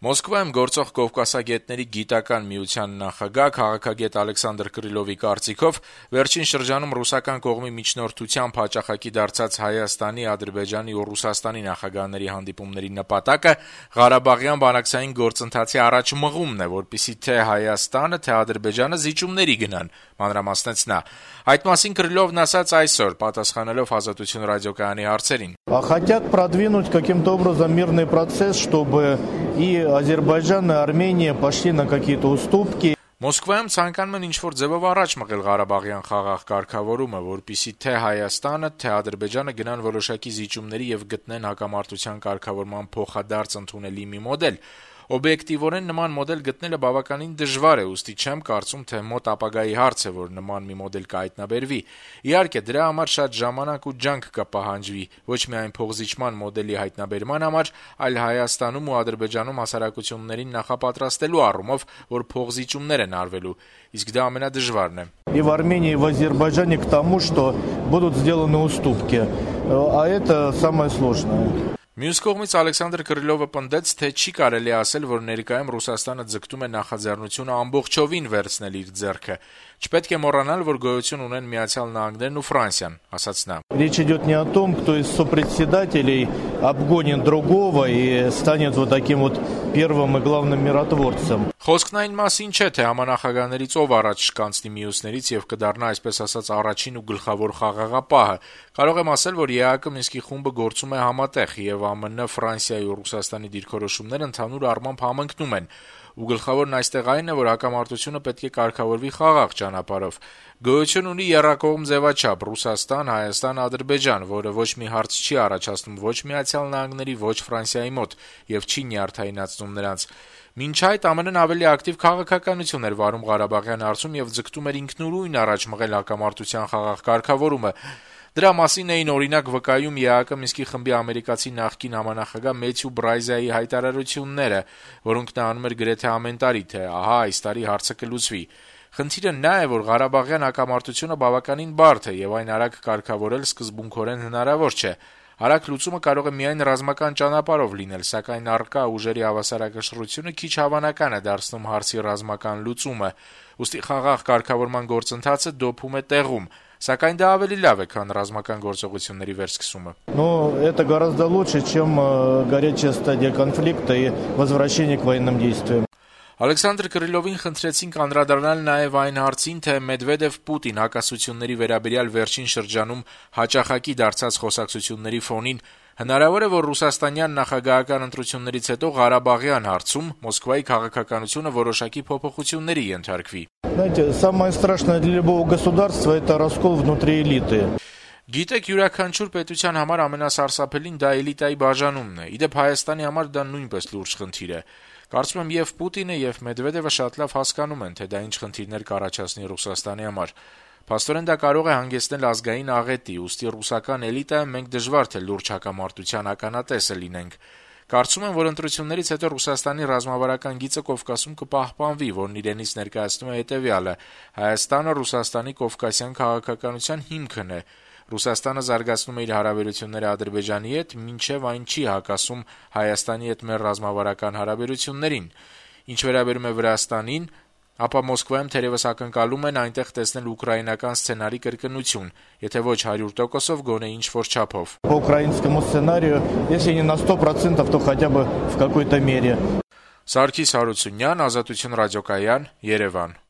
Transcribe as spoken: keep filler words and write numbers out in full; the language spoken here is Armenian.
Մոսկվայում գործող կովկասագետների գիտական միության նախագահ քաղաքագետ Ալեքսանդր Կրիլովի կարծիքով վերջին շրջանում ռուսական կողմի միջնորդությամբ հաճախակի դարձած Հայաստանի, Ադրբեջանի ու Ռուսաստանի նախագահների հանդիպումների նպատակը Ղարաբաղյան բանակցային գործընթացի առաջմղումն է, որպեսզի թե Հայաստանը, թե Ադրբեջանը զիջումների գնան, մանրամասնեց նա։ Այդ մասին Կրիլովն ասաց այսօր, պատասխանելով Ազատություն ռադիոկայանի հարցերին. Хотят продвинуть каким-то образом мирный процесс, чтобы и Азербайджан, и Армения пошли на какие-то уступки. Մոսկվայում ցանկանում են ինչ-որ ձևով առաջ մղել Ղարաբաղյան խաղաղ կարգավորումը, որպեսզի թե Հայաստանը, թե Ադրբեջանը գնան որոշակի զիջումների եւ գտնեն հակամարտության կարգավորման փոխադարձ ընդունելի մի մոդել։ Օբյեկտիվորեն նման մոդել գտնելը բավականին դժվար է, ուստի չեմ կարծում, թե մոտ ապագայի հարց է, որ նման մի մոդել կհայտնաբերվի։ Իհարկե, դրա համար շատ ժամանակ ու ջանք կպահանջվի, ոչ միայն փոխզիջման մոդելի հայտնաբերման համար, այլ Հայաստանում ու Ադրբեջանում հասարակություններին նախապատրաստելու առումով, որ փոխզիջումներ են արվելու, իսկ դա ամենադժվարն է։ И в Армении, и в Азербайджане к тому, что будут сделаны уступки. А это самое сложное. Մյուս կողմից Ալեքսանդր Կրիլովը պնդեց, թե չի կարելի ասել, որ ներկայում Ռուսաստանը ձգտում է նախաձեռնությունը ամբողջովին վերցնել իր ձեռքը։ Չպետք է մոռանալ, որ գոյություն ունեն Միացյալ Նահանգներն ու Ֆրանսիան, ասաց նա։ Речь идет не о том, кто из сопредседателей обгонит другого и станет вот таким вот первым и главным миротворцем. Խոսքն այն մասին չէ, թե համանախագահներից ով առաջ կանցնի մյուսներից եւ կդառնա, այսպես ասած, առաջին ու գլխավոր խաղաղապահը։ Կարող եմ ասել, որ ԵԱՀԿ Մինսկի խումբը գործում է համատեղ եւ ԱՄՆ, Ֆրանսիայի ու Ռուսաստանի դիրքորոշումները ընդհանուր առմամբ համընկնում են։ Ու գլխավորն այստեղ այն է, որ հակամարտությունը պետք է կարգավորվի խաղաղ ճանապարհով։ Գոյություն ունի եռակողմ ձևաչափ Ռուսաստան, Հայաստան, Ադրբեջան, որը ոչ մի հարց չի առաջացնում ոչ Միացյալ Նահանգների, ոչ Ֆրանսիայի մոտ եւ չի նյարդայնացնում նրանց։ Մինչ այդ ԱՄՆ-ն ավելի ակտիվ քաղաքականություն էր վարում Ղարաբաղյան հարցում եւ ձգտում էր ինքնուրույն առաջ մղել հակամարտության խաղաղ կարգավորումը։ Դրա մասին էին օրինակ վկայում ԵԱՀԿ Մինսկի խմբի ամերիկացի նախկին համանախագահ Մեթյու Բրայզայի հայտարարությունները, որոնք նա անում էր գրեթե ամեն տարի, թե ահա այս տարի հարցը կլուծվի։ Խնդիրը նա է, որ Ղարաբաղյան հակամարտությունը բավականին բարդ է եւ այն արագ կարգավորել սկզբունքորեն հնարավոր չէ։ Արագ լուծումը կարող է միայն ռազմական ճանապարհով լինել, սակայն առկա ուժերի հավասարակշռությունը քիչ հավանական է դարձնում հարցի ռազմական լուծումը։ Ուստի խաղաղ կարգավորման գործընթացը դոփում է տեղում, սակայն դա ավելի լավ է, քան ռազմական գործողությունների վերսկսումը։ Но это гораздо лучше, чем горячая стадия конфликта и возвращение к военным действиям. Ալեքսանդր Կրիլովին խնդրեցինք անդրադառնալ նաև այն հարցին, թե Մեդվեդև-Պուտին հակասությունների վերաբերյալ վերջին շրջանում հաճախակի դարձած խոսակցությունների фонին հնարավոր է, որ ռուսաստանյան նախագահական ընտրություններից հետո Ղարաբաղյան հարցում Մոսկվայի քաղաքականությունը որոշակի փոփոխությունների ենթարկվի։ Знаете, самое страшное для любого государства это раскол внутри элиты. Գիտեք, յուրաքանչյուր պետության համար ամենասարսափելին դա էլիտայի բաժանումն է։ Իդեպ Հայաստանի համար դա նույնպես լուրջ խնդիր է։ Կարծում եմ եւ Պուտինը եւ Մեդվեդևը շատ լավ հասկանում են, թե դա ինչ խնդիրներ կառաջացնի Ռուսաստանի համար։ Փաստորեն դա կարող է հանգեցնել ազգային աղետի, ուստի ռուսական էլիտայում մենք դժվար թե լուրջ հակամարտության ականատեսը լինենք։ Կարծում եմ, որ ընտրություններից հետո Ռուսաստանի ռազմավարական գիծը Կովկասում կպահպանվի, որն իրենից ներկայացնում է հետեւյալը. Հայաստանը Ռուսաստանի կովկասյան քաղաքականության հիմքն է։ Ռուսաստանը զարգացնում է իր հարաբերությունները Ադրբեջանի հետ, մինչև այն չի հակասում Հայաստանի հետ մեր ռազմավարական հարաբերություններին։ Ինչ վերաբերում է Վրաստանին, ապա Մոսկվայում թերևս ակնկալում են այնտեղ տեսնել ուկրաինական սցենարի կրկնություն, եթե ոչ հարյուր տոկոսով, գոնե ինչ-որ չափով։ По украинскому сценарию, если не на сто процентов, то хотя бы в какой-то мере. Սարգիս Հարությունյան, Ազատություն ռադիոկայան, Երևան։